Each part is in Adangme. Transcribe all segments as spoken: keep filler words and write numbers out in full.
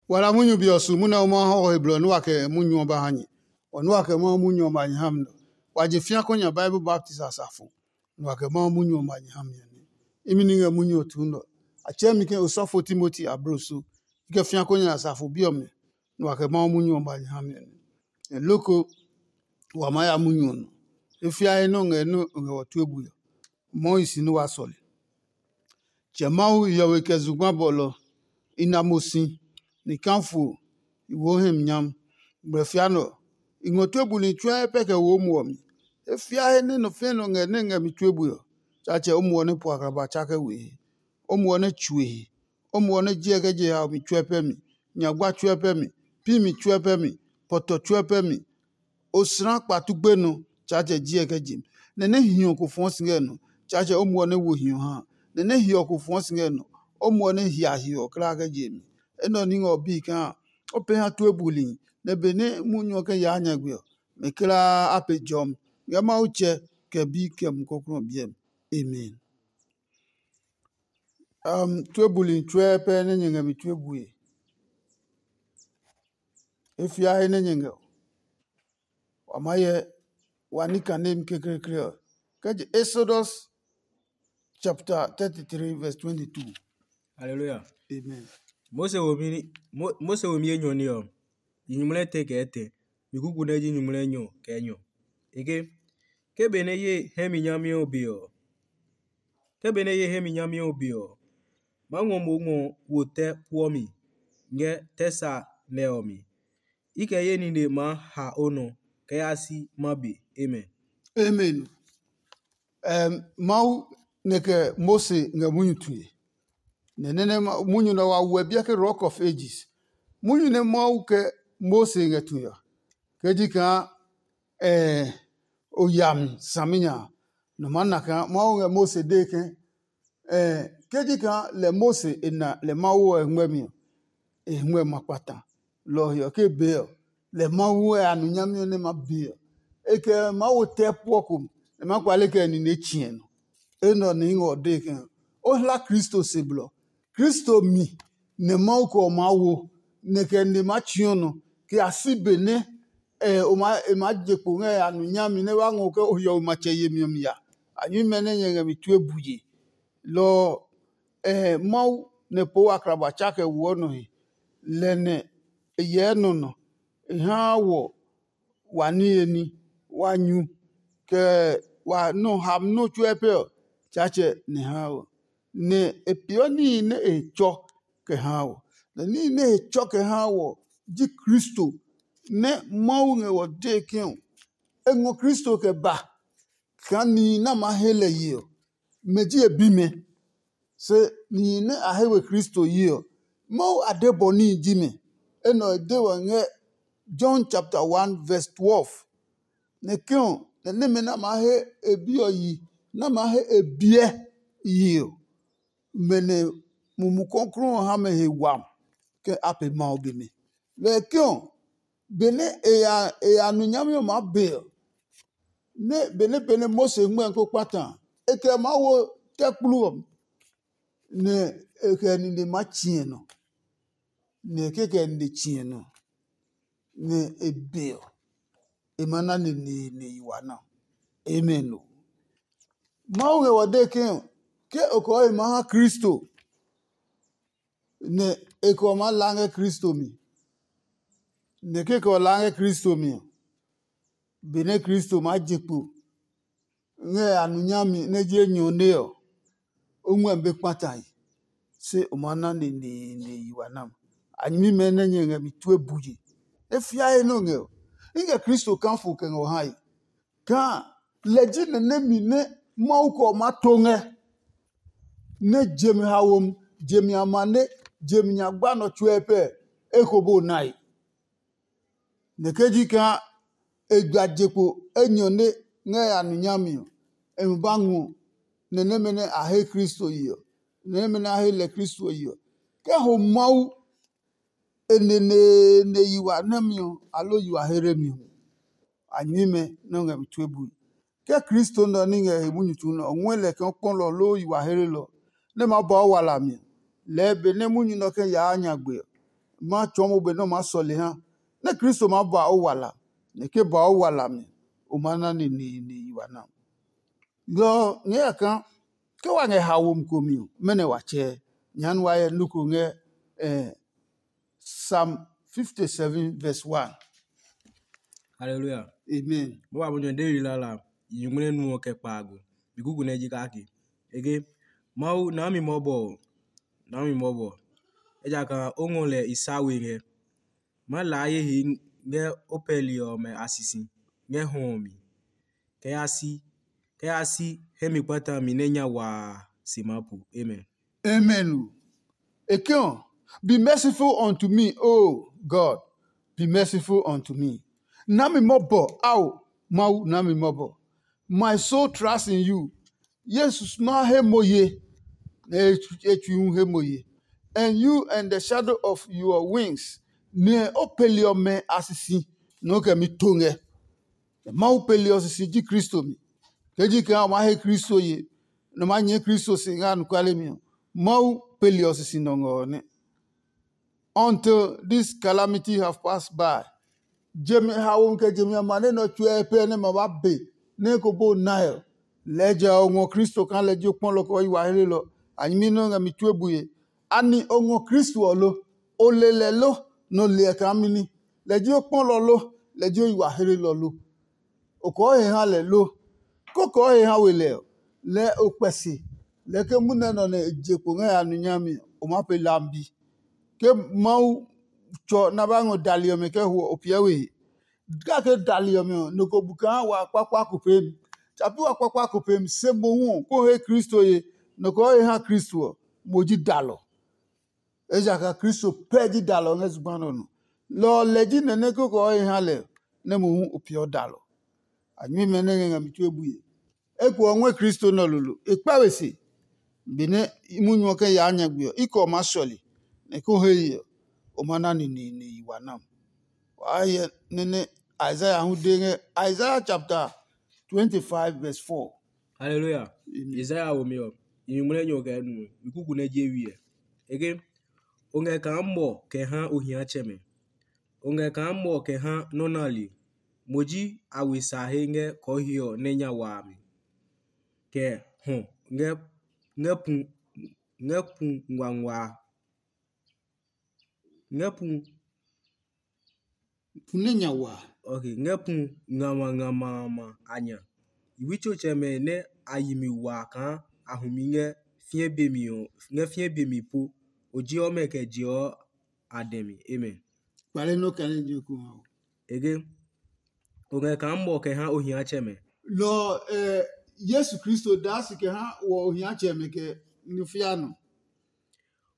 Wa la munyu be ɔ su munɛ o ma hɔ he blɔ nɛ wa kɛ munyu ɔ ba ha nyɛ. Wɔ nɛ wa kɛ Mawu munyu ɔ ma nyɛ ha mi nɔ. Wa je fĩa kɔ nya Bible baptist asafo, nɛ wa kɛ Mawu munyu ɔ ma nyɛ ha mi ɔ nɛ. Imi ní ngɛ munyu ɔ tuu nɔ. A tsɛɛ mi ke osɔfo Timoti ablo so. I kɛ fĩa kɔ nya asafo bi ɔmɛ, nɛ wa kɛ Mawu munyu ɔ ma nyɛ ha mi ɔ nɛ. Nɛ loko wa maa ya munyu ɔ nɔ. E fia he nɛ o ngɛ nɛ o ngɛ wɔ tue bui ɔ, Mawu hi si nɛ wa sɔle. Tsɛ Mawu hiɔwe kɛ zugba bɔlɔ i na mo si, ni kafo i wo hɛ mi nyam. Ngmlɛfia nɛ ɔ, i ngɔ tue buli tsuɛ pɛ kɛ wo o muɔ mi. E fia he nɛ nɔ fɛ̃ nɔ ngɛ nɛ ngɛ mi tue bui ɔ, Tsaatsɛ o muɔ nɛ po akraba tsa kɛ we he. O muɔ nɛ tsue he. O muɔ nɛ jiɛ kɛ je haomi tsuɛ pɛ mi, nyagba tsuɛ pɛ mi, pi mi tsuɛ pɛ mi, pɔtɔ tsuɛ pɛ mi. Osra kpatu gbenɔ, Tsaatsɛ jiɛ kɛ je mi. Nɛ nɛ hiɔ ko fɔɔ si ngɛ nɔ, Tsaatsɛ o muɔ nɛ wo hiɔ ha. Nɛ nɛ hiɔ ko fɔɔ si ngɛ nɔ, o muɔ nɛ hia hiɔ kla kɛ je mi. Enɛ ɔ ní ngɛ ɔ bii kaa o pɛ ha tue buli, nɛ benɛ munyu ɔ kɛ yaa nyagbe ɔ, mɛ kulaa a pe jɔmi ngɛ Mawu tsɛ kɛ bi kɛ Mumi Klɔuklɔu ɔ biɛ mi. Amen. Um, tue buli tsuɛ pɛ nɛ nyɛ ngɛ mi tue bue. E fia he nɛ nyɛ ngɛ ɔ. Wa maa hyɛ wa ní kanemi kekleekle ɔ. Kɛ je Exodus chapter thirty-three verse twenty-two. Hallelujah. Amen. Mose wo mi Mo- Mose wo mi enyɔ ni ɔ. Yi nyumu lɛ tɛ kɛ tɛ. Mi kuku nɛ ji nyumu lɛ nyɔ kɛ nyɔ. Eke ke be nɛ ye hɛ mi nyami ɔ be ɔ. Ke be nɛ ye hɛ mi nyami ɔ be ɔ, ma ngɔ mo ngɔ wo tɛ puɔ mi ngɛ tɛ sa nɛ ɔ mi. I kɛ ye nine maa ha o nɔ kɛ ya si ma be. Amen. Amen. Ɛm, Mawu nɛ kɛ Mose ngɛ munyu tue. Nɛ nɛnɛ munyu nɛ wa wuɛ biɛ ke Rock of Ages. Munyu nɛ Mawu kɛ Mose ngɛ tue ɔ, kɛ ji kaa ɛ o yami saminya a, nɔ maa na kaa Mawu ngɛ Mose dee ke ɛ ke ji kaa lɛ Mose e na lɛ Mawu ɔ e ngmɛmi ɔ, e ngmɛ ma kpata. Lɔ ɔ he ɔ, ke be ɔ, lɛ Mawu ɛ a nu nyami ɔ nɛ ma be ɔ, e kɛ Mawu tɛ puɔ ko nɛ ma kpale kɛ nine tsiɛ nɔ. Enɛ ɔ ní ngɛ ɔ dee ke o hla Kristo se blɔ. Kristo mi nɛ Mawu kɛ ɔ maa wo, nɛ kɛ nine ma tsiɔ nɔ, kɛ a si be nɛ e maa je kpo ngɛ a nu nyami nɛ wa ngɔ ke o hiɔwe matsɛ yemi ɔ mi ya. A nyuimɛ nɛ nyɛ ngɛ mi tue bue. Lɔ ɔ, Mawu nɛ poo akraba tsa kɛ woɔ nɔ he, lɛ nɛ e hyɛ nɔ nɔ, e haa wɔ wa niye ní, wa nyu, kɛ wa nɔ ham nɔ́ tsuɛ pɛ ɔ, Tsaatsɛ nɛ haa wɔ. Nɛ e peeɔ níhi nɛ e tsɔ kɛ haa wɔ. Nɛ níhi nɛ e tsɔ kɛ haa wɔ ji Kristo, nɛ Mawu ngɛ wɔ dee ke ɔ, e ngɔ Kristo kɛ ba kaa nihi nɛ a maa he lɛ ye ɔ, mɛ ji e bimɛ. Se nihi nɛ a he we Kristo yi ɔ, Mawu adɛ bɔ níhi ji mɛ. Enɛ ɔ e de wɛ ngɛ John chapter one verse twelve. Nɛ ke ɔ, nɛ nɛmɛ nɛ a maa he e bi ɔ yi, nɛ a maa he e biɛ yi ɔ, mɛ nɛ Mumi Klɔuklɔu ɔ ha mɛ he wam ke a pe Mawu bi mi. Lɔ ɔ ke ɔ, benɛ e ya e ya nu nyami ɔ maa be ɔ, nɛ benɛ benɛ Mose ngmɛ́ ko kpata a, e kɛ maa wo tɛ kplu ɔ, nɛ e kɛ nine maa tsiɛ nɔ, nɛ kekɛ nine tsiɛ nɔ, nɛ e be ɔ, e ma na neneene yi wa na. Amen o. Mawu ngɛ wa dee ke ke o kɔɔ e maa ha Kristo, nɛ e kɛ ɔ maa la ngɛ Kristo mi. Nɛ ke kɛ ɔ la ngɛ Kristo mi ɔ, benɛ Kristo maa je kpo ngɛ a nu nyami nɛ ji enyɔ nɛ ɔ, o ngmɛmi be kpata he, se o maa na neneene yi wa nam. A nyɛmimɛ nɛ nyɛ ngɛ mi tue buje. E fiae nɛ o ngɛ ɔ, i ngɛ Kristo kafo kɛ ngɛ o hae. Kaa lɛ ji nɛ nɛmi nɛ Mawu kɛ ɔ maa to ngɛ, nɛ jemi haomi, jemi amane, jemi nyagba nɔ tsuɛ pɛ eko bo nae. Nɛ ke ji kaa e gba je kpo enyɔ nɛ ngɛ ya nu nyami ɔ, e mi ba ngɔ nɛ nɛmɛ nɛ a he Kristo yi ɔ, nɛ nɛmɛ nɛ a he lɛ Kristo yi ɔ, kɛ ho Mawu e neneene yi wa nɛmi ɔ, aloo yi wa heremi ɔ, a nyɛmimɛ nɛ o ngɛ mi tue bui. Ke Kristo nɛ ɔ ní ngɛ he munyu tsu nɛ ɔ ngɔɛ lɛ kaa kpɔlɔ loo yi wa herelɔ nɛ ma ba o wala mi ɔ, lɛɛ benɛ munyu nɛ ɔ kɛ yaa nyagbe ɔ, ma tsɔɔ mo be nɛ o maa sɔle ha, nɛ Kristo maa ba o wala, nɛ ke ba o wala mi, o maa na neneene yi wa na. Lɔ ɔ ngɛ ya kaa ke wa ngɛ haomi ko mi ɔ, mɛnɔ wa tsɛɛ? Nyɛɛ wa hyɛ nɔ́ ko ngɛ eh, Psalm fifty-seven verse one. Hallelujah. Amen. Mo ba mo nyɔ David lala yi ngmlɛ nu ɔ kɛ kpaago. Bi kuku nɛ ji kake. Ege, Mawu na mi mɔbɔ, na mi mɔbɔ. Ejakaa o ngɔ lɛ i sa we ngɛ. Ma laa ye he ngɛ o pɛli ɔmɛ a sisi ngɛ hɔ ɔ mi. Kɛ ya si, kɛ ya si hɛ mi kpata mi nɛ nya waa se maa pu. Amen. Amen o. E ke ɔ, be merciful unto me, O God, be merciful unto me. Na mi mɔbɔ, ao, Mawu, na mi mɔbɔ. My soul trust in you. Yesus ma he mo ye, nɛ e tsui hu he mo ye. And you and the shadow of your wings, nɛ o peli ɔmɛ a sisi nɛ o kɛ mi to ngɛ. Mawu peli ɔ sisi ji Kristo mi. Ke ji kaa o maa he Kristo ye, nɛ o maa nyɛɛ Kristo si ngɛ anɔkuale mi ɔ, Mawu peli ɔ sisi nɔ ngɛ ɔ nɛ. Until this calamity have passed by. Jemi haomi kɛ jemi a ma nɛ nɔ tsuɛ pɛ nɛ ma ba be nɛ ko bo nae ɔ, lɛɛ jɛ ɔ ngɔ Kristo kaa lɛ ji o kpɔlɔ kɛ o yi wa helelɔ. A nyɛmi nɛ o ngɛ mi tue bue. Ani o ngɔ Kristo ɔ lo? O le lɛ lo, nɛ o le ɛ kaa mini? Lɛ ji o kpɔlɔ lo, lɛ ji o yi wa helelɔ lo? O kɔɔ he ha lɛ lo? Ko kɔɔ he ha we lɛ ɔ, lɛɛ o kpɛ se. Lɛɛ ke munɛ nɔ nɛ e je kpo ngɛ ya nu nyami ɔ, o maa pe lambi. Ke Mawu tsɔ nɛ a ba ngɔ dali ɔmɛ kɛ ho ɔ, o piɛ we he. Kake dali ɔmɛ ɔ, nɔ ko bu kaa wa kpakpa ko peemi. Tsa pi wa kpakpa ko peemi, se mohu ɔ, ko he Kristo ye, nɔ ko he ha Kristo ɔ, mo ji dalɔ. Ejakaa Kristo pɛ ji dalɔ ngɛ zugba nɛ ɔ nɔ. Lɔ ɔ lɛ ji nɛ nɛ koko ɔ he ha lɛ nɛ mohu o peeɔ dalɔ. A nyuimɛ nɛ ngɛ ngɛ mi tue bue. Eko ɔ ngɔɛ Kristo nɛ ɔ lolo. E kpa we se. Benɛ munyu ɔ kɛ yaa nyagbe ɔ, i kɛ ɔ maa sɔle, nɛ ko he ye ɔ, o ma na neneene yi wa nam. Waa hyɛ nɛ nɛ Isaiah hu de ngɛ Isaiah chapter twenty-five verse four. Hallelujah. Amen. Isaiah wo mi ɔ, nyumu nɛ nyɔ kɛ nu, mi kuku nɛ je wiɛ. Ege, o ngɛ kaa mɔ kɛ ha ohiatsɛmɛ. O ngɛ kaa mɔ kɛ ha nɔ́ nali. Mo ji a we sa he ngɛ kɔɔhiɔ nɛ nya wa a mi. Kɛ hɔ ngɛ ngɛ pu ngɛ pu nguangua. Ngɛ pu Pu nɛ nya wa. Ok, ngɛ pu ngama ngama a nya. I wi tsotsɛmɛ nɛ a yi mi wa kaa a hu mi ngɛ fiɛ be mi ɔ, ngɛ fiɛ be mi po. O ji ɔmɛ kɛ je ɔ a dɛ mi. Amen. Kpale nɔ kɛ nɛ je ko ha o. Ege, o ngɛ kaa mɔ kɛ ha ohiatsɛmɛ. Lɔ ɛ Yesu Kristo daa si kɛ ha wɔ ohiatsɛmɛ kɛ nufia nɔ.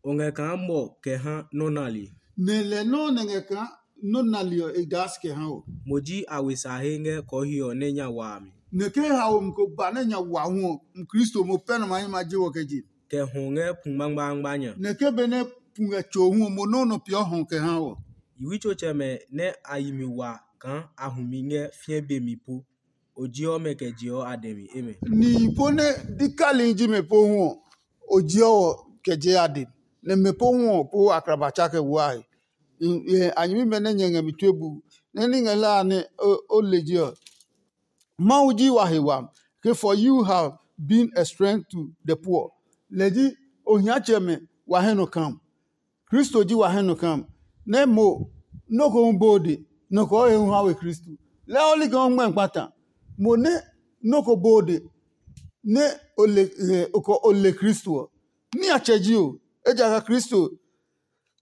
O ngɛ kaa mɔ kɛ ha nɔ́ nali. Nɛ lɛ nɔ́ nɛ ngɛ kaa nɔ́ nali ɔ e daa si kɛ ha o. Mo ji a we sa he ngɛ kɔɔhiɔ nɛ nya wa a mi. Nɛ ke haomi ko ba nɛ nya wa hu ɔ, Kristo mo pɛ nɔ ma hɛ ma je wɔ kɛ je. Kɛ hɔ ngɛ pu ngbangbangba nya. Nɛ ke benɛ pu ngɛ tso hu ɔ, mo nɔ́ nɔ peeɔ hɔ kɛ ha wɔ. I wi tsotsɛmɛ nɛ a yi mi wa kaa a hu mi ngɛ fiɛ be mi po. O ji ɔmɛ kɛ je ɔ a dɛ mi. Amen. Nihi po nɛ dikali ji mɛ po hu ɔ, o ji ɔ kɛ je a dɛ mi. Nɛ mɛ po hu ɔ po akraba tsa kɛ wuae. A nyɛmimɛ nɛ nyɛ ngɛ mi tue bu nɛ ní ngɛ hlaa nɛ o le je ɔ. Mawu ji wa he wami, ke for you have been a strength to the poor. Lɛ ji ohiatsɛmɛ wa hɛ nɔ kam. Kristo ji wa hɛ nɔ kam, nɛ mo nɔ́ ko hu bode, nɔ ko he hu ha we Kristo. Lɛɛ ɔ li kaa o ngmɛ kpata. Mo nɛ nɔ́ ko bode, nɛ o le o le Kristo ɔ, niatsɛ ji o, ejakaa Kristo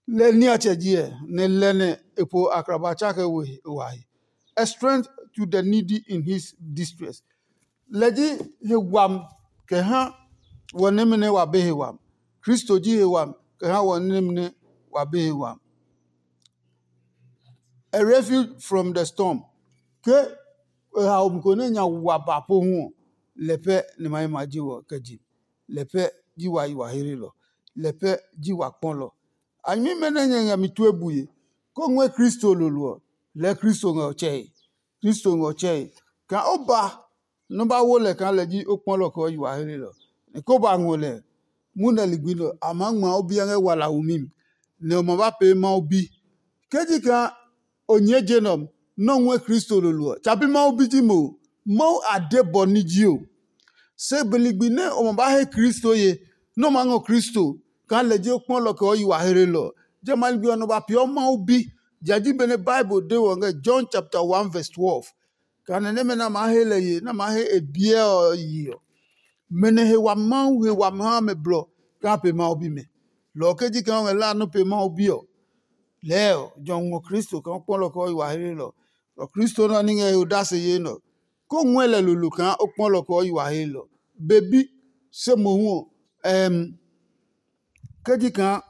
lɛ niatsɛ ji ɛ, nɛ lɛ nɛ e po akraba tsa kɛ we wa he. A strength to the needy in his distress. Lɛ ji he wami kɛ ha wɔ nɛmɛ nɛ wa be he wami. Kristo ji he wami kɛ ha wɔ nɛmɛ nɛ wa be he wami. A refuge from the storm. Ke e haomi ko nɛ nya wa ba po hu ɔ, lɛ pɛ nɛ ma yi ma ji wɔ kɛ je. Lɛ pɛ ji wa yi wa heelɔ. Lɛ pɛ ji wa kpɔlɔ. A nyɛmimɛ nɛ nyɛ ngɛ mi tue bue, kó ngɔɛ Kristo lolo ɔ, lɛɛ Kristo ngɛ ɔ tsɛe. Kristo ngɛ ɔ tsɛe. Kaa o ba nɔ́ ba wo lɛ kaa lɛ ji o kpɔlɔ kɛ o yi wa heelɔ. Nɛ ko ba ngɔ lɛ, munɛ ligbi nɛ a maa ngma o biɛ ngɛ wala wumi mi. nɛ o ma ba pee Mawu bi. Ke ji kaa o nyɛɛ je nɛ ɔ, nɛ o ngɔɛ Kristo lolo ɔ, tsa pi Mawu bi ji mo. Mawu a de bɔ ní ji o. Se be ligbi nɛ o ma ba he Kristo ye, nɛ o maa ngɔ Kristo kaa lɛ ji o kpɔlɔ kɛ o yi wa hlelɔ ɔ, jamɛ a ligbi ɔ nɔ ba peeɔ Mawu bi. Ja ji benɛ Bible de wɔ ngɛ John chapter one verse twelve. Kaa nɛ nɛmɛ nɛ a maa he lɛ ye, nɛ a maa he e biɛ ɔ yi ɔ, mɛ nɛ he wami Mawu he wami ha mɛ blɔ kaa pe Mawu bimɛ. Lɔ ɔ ke ji kaa o ngɛ la nɔ́ pe Mawu bi ɔ, lɛɛ ɔ, jɔ ngɔ Kristo kaa o kpɔlɔ kɛ o yi wa hlelɔ. Lɔ Kristo nɛ ɔ ní ngɛ he odase yee nɛ ɔ, ko ngɔɛ lɛ lolo kaa o kpɔlɔ kɛ o yi wa hlelɔ. Be bi, se mohu ɔ, ɛɛm, ke ji kaa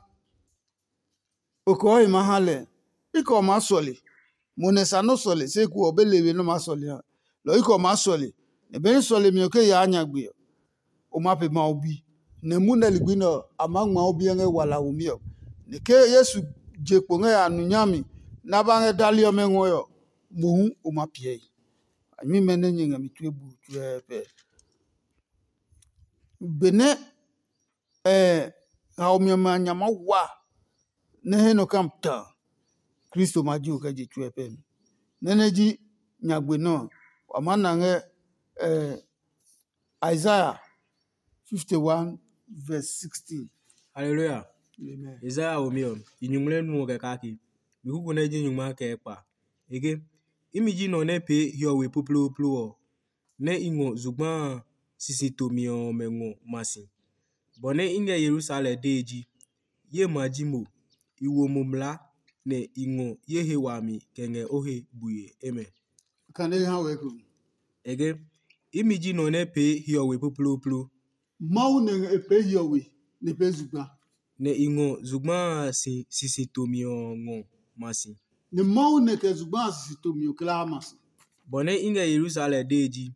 o kɔɔ he maa ha lɛ, i kɛ ɔ maa sɔle. Mo nɛ sa nɔ́ sɔle, se eko ɔ be le we nɔ́ maa sɔle ha. Lɔ ɔ i kɛ ɔ maa sɔle, nɛ benɛ sɔlemi ɔ ke yaa nyagbe ɔ, o maa pe Mawu bi. Nɛ munɛ ligbi nɛ ɔ, a maa ngma o biɛ ngɛ wala womi ɔ. Nɛ ke Yesu je kpo ngɛ ya nu nyami nɛ a ba ngɛ dali ɔmɛ ngɔe ɔ, mohu o ma piɛ i. A nyuimɛ nɛ nyɛ ngɛ mi tue bu tsuɛɛpɛ. Benɛ haomi ɔmɛ a nya maa wa nɛ he nɔ kam ta, Kristo ma ji o kɛ je tsuɛ pɛ mi. Nɛ nɛ ji nyagbe nɛ ɔ, wa maa na ngɛ Isaiah fifty one verse sixteen. Hallelujah. Amen. Isaiah womi ɔ, i nyuŋmlɛ nu ɔ kɛ kake. Mi kuku nɛ ji nyungma kɛ kpa. E ke, imi ji nɔ nɛ pee hiɔwe ploplooplo ɔ, nɛ i ngɔ zugba a sisi tomi ɔmɛ ngɔ ma si. Bɔ nɛ i ngɛ Yerusalem dee ji, ye ma ji mo, i wo mo mlaa, nɛ i ngɔ ye he wami kɛ ngɛ o he bue. Amen. Kane ha wɛ ko. E ke, imi ji nɔ nɛ pee hiɔwe ploplooplo. Mawu nɛ e pee hiɔwe nɛ e pee zugba. Nɛ i ngɔ zugba a si sisi tomi ɔ ngɔ ma si. Nɛ Mawu nɛ kɛ zugba a sisi tomi ɔ kla ma si. Bɔ nɛ i ngɛ Yerusalem dee ji,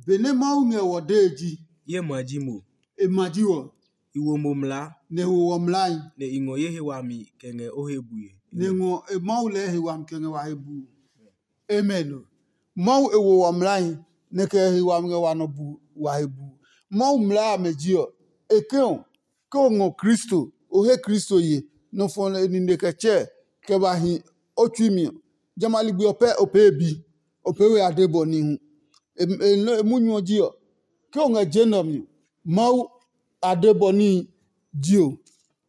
Benɛ Mawu ngɛ wɔ dee ji, ye ma ji mo, e ma ji wɔ, i wo mo mlaa, nɛ e wo wɔ mlai, nɛ i ngɔ ye he wami kɛ ngɛ o he bue. Nɛ e ngɔ e Mawu lɛɛ he wami kɛ ngɛ wa he buu. Amen. Mawu e wo wa mlai, nɛ kɛ he wami ngɛ wa nɔ bu wa he bu. Mawu mlaa amɛ ji ɔ, e ke ɔ, ke o ngɔ Kristo, o he Kristo ye, nɔ fɔ nɛ e nine kɛ tsɛ kɛ ba hi o tsui mi ɔ, jamɛ a ligbi ɔ pɛ o pee bi, o pee we ade bɔ nihu. E munyu ɔ ji ɔ, ke o ngɛ je nɛ ɔ mi ɔ, Mawu ade bɔ níhi ji o.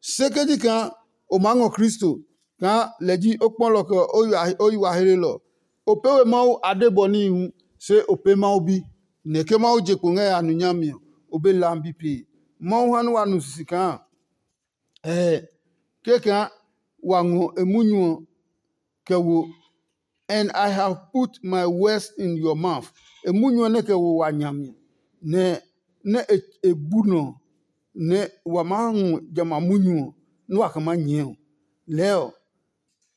Se ke ji kaa o maa ngɔ Kristo kaa lɛ ji o kpɔlɔ kɛ o yi wa hlelɔ, o pee we Mawu ade bɔ níhi hu, se o pee Mawu bi, nɛ ke Mawu je kpo ngɛ ya nu nyami ɔ, o be lambi pee. Mawu ha nɛ wa nu sisi kaa ɛɛ kɛkaa wa ngɔ e munyu ɔ kɛ wo, and I have put my words in your mouth. E munyu ɔ nɛ kɛ wo wa nya mi, nɛ nɛ e bu nɔ, nɛ wa maa ngɔ jamɛ a munyu ɔ, nɛ wa kɛ maa nyɛɛ ɔ. Lɛɛ ɔ,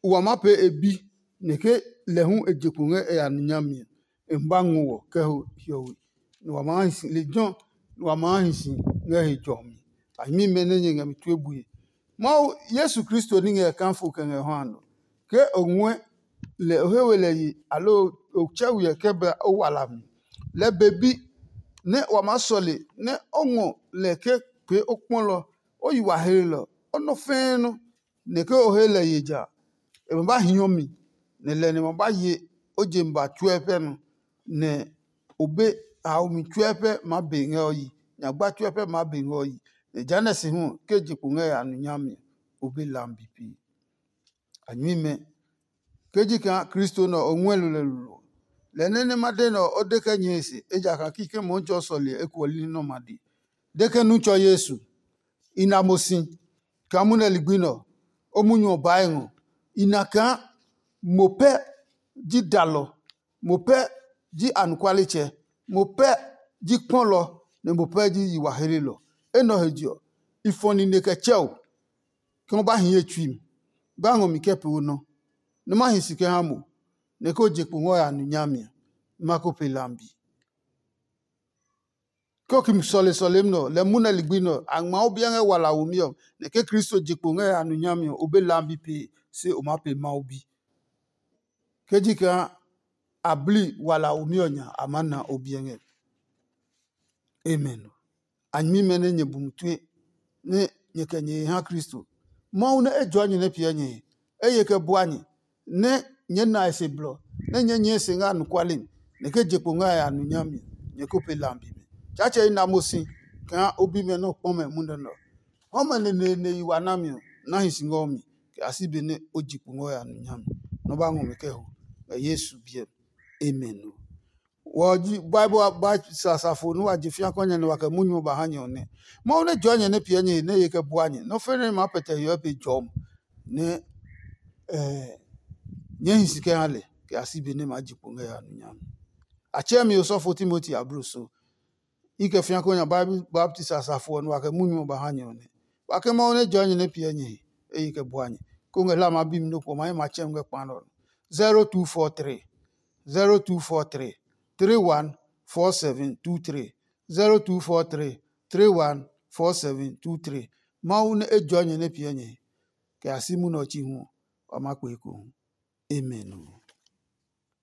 wa maa pee e bi, nɛ ke lɛ hu e je kpo ngɛ e ya nu nyami ɔ, e ma ba ngɔ wɔ kɛ ho hiɔwe, nɛ wa maa hi si lejɛ ɔ, nɛ wa maa hi si ngɛ he jɔmi. A nyɛmimɛ nɛ nyɛ ngɛ mi tue bue. Mawu Yesu Kristo ní ngɛ e kafo kɛ ngɛ hɔ a nɔ. Ke o ngɔɛ lɛ o he we lɛ yi, aloo o tsɛ we ɔ kɛ ba o wa hlami, lɛɛ be bi nɛ wa maa sɔle nɛ o ngɔ lɛ ke pee o kpɔlɔ, o yi wa hlelɔ, o nɔ fɛɛ nɔ, nɛ ke o he lɛ ye ja, e ma ba hiɔ mi, nɛ lɛ nɛ ma ba ye o je mi ba tsuɛ pɛ nɔ, nɛ o be haomi tsuɛ pɛ maa be ngɛ o yi, nyagba tsuɛ pɛ maa be ngɛ o yi, nɛ jehanɛ si hu ke je kpo ngɛ ya nu nyami ɔ, o be lambi pee. A nyuimɛ, ke ji kaa Kristo nɛ ɔ, o ngɔɛ lulɛ lolo ɔ, lɛ nɛ nɛ ma de nɛ ɔ, o de kɛ nyɛe se, ejakaa kikɛ mohu tsɛ o sɔle ɔ ekuɔ li nɛ ɔ ma de. De ke nu tsɔ Yesu, i na mo si kaa munɛ ligbi nɛ ɔ, o munyu ɔ baa e ngɔ. I na kaa mo pɛ ji dalɔ, mo pɛ ji anɔkualetsɛ, mo pɛ ji kpɔlɔ, nɛ mo pɛ ji yi wa hlelɔ. Enɛ ɔ he je ɔ, i fɔ nine kɛ tsɛ o, ke ma ba hi ye tsui mi, ba ngɔ mi kɛ pee o nɔ, nɛ ma hi si kɛ ha mo, nɛ ke o je kpo ngɔ ya nu nyami a, nɛ ma ko pe lambi. Ke o ki sɔle sɔlemi nɛ ɔ, lɛ munɛ ligbi nɛ ɔ, a ngma o biɛ ngɛ wala womi ɔ, nɛ ke Kristo je kpo ngɛ ya nu nyami ɔ, o be lambi pee, se o maa pe Mawu bi. Ke ji kaa a bli wala womi ɔ nya, a maa na o biɛ ngɛ. Amen. A nyɛmimɛ nɛ nyɛ bu mi tue, nɛ nyɛ kɛ nyɛ he ha Kristo. Mawu nɛ e jɔɔ nyɛ nɛ piɛ nyɛ he, e ye kɛ bua nyɛ, nɛ nyɛɛ na e se blɔ, nɛ nyɛɛ nyɛɛ se ngɛ anɔkuale mi, nɛ ke je kpo ngɛ a ya nu nyami, nyɛ ko pe lambi mi. Tsaatsɛ i na mo si kaa o bimɛ nɛ o kpɔ mɛ munɛ nɛ ɔ. Hɔmɛ neneene yi wa nami ɔ, na hi si ngɛ o mi, kɛ a si benɛ o je kpo ngɛ o ya nu nyami. Nɔ ba ngɔ mi kɛ ho, ngɛ Yesu biɛ mi. Amen. Wɔ ji Bible ba sasafo nɛ wa je fia kɔ nyɛ nɛ wa kɛ munyu ɔ ba ha nyɛ ɔ nɛ. Mawu nɛ jɔɔ nyɛ nɛ piɛ nyɛ he nɛ ye kɛ bua nyɛ. Nɔ fe nɛ ma pɛtɛ hiɔ pe jɔm nɛ eh, nyɛ hi si kɛ ha lɛ kɛ a si be nɛ ma ji kpo ngɛ ya nu nyami. A tsɛ mi osɔfo Timoti abro so. I kɛ fia kɔ nya baptisi asafo ɔ nɛ wa kɛ munyu ɔ ba ha nyɛ ɔ nɛ. Wa ke Mawu nɛ jɔɔ nyɛ nɛ piɛ nyɛ he, e yi kɛ bua nyɛ. Ko ngɛ hla ma bi mi nɔ kpo ma ye ma tsɛ ngɛ kpa nɔ. zero two four three zero two four three three one four seven two three zero two four three three one four seven two three. Mawu nɛ e jɔɔ nyɛ nɛ piɛ nyɛ he, kɛ a si munɛ ɔ chi hu ɔ, wa ma kpe ekohu. Amen.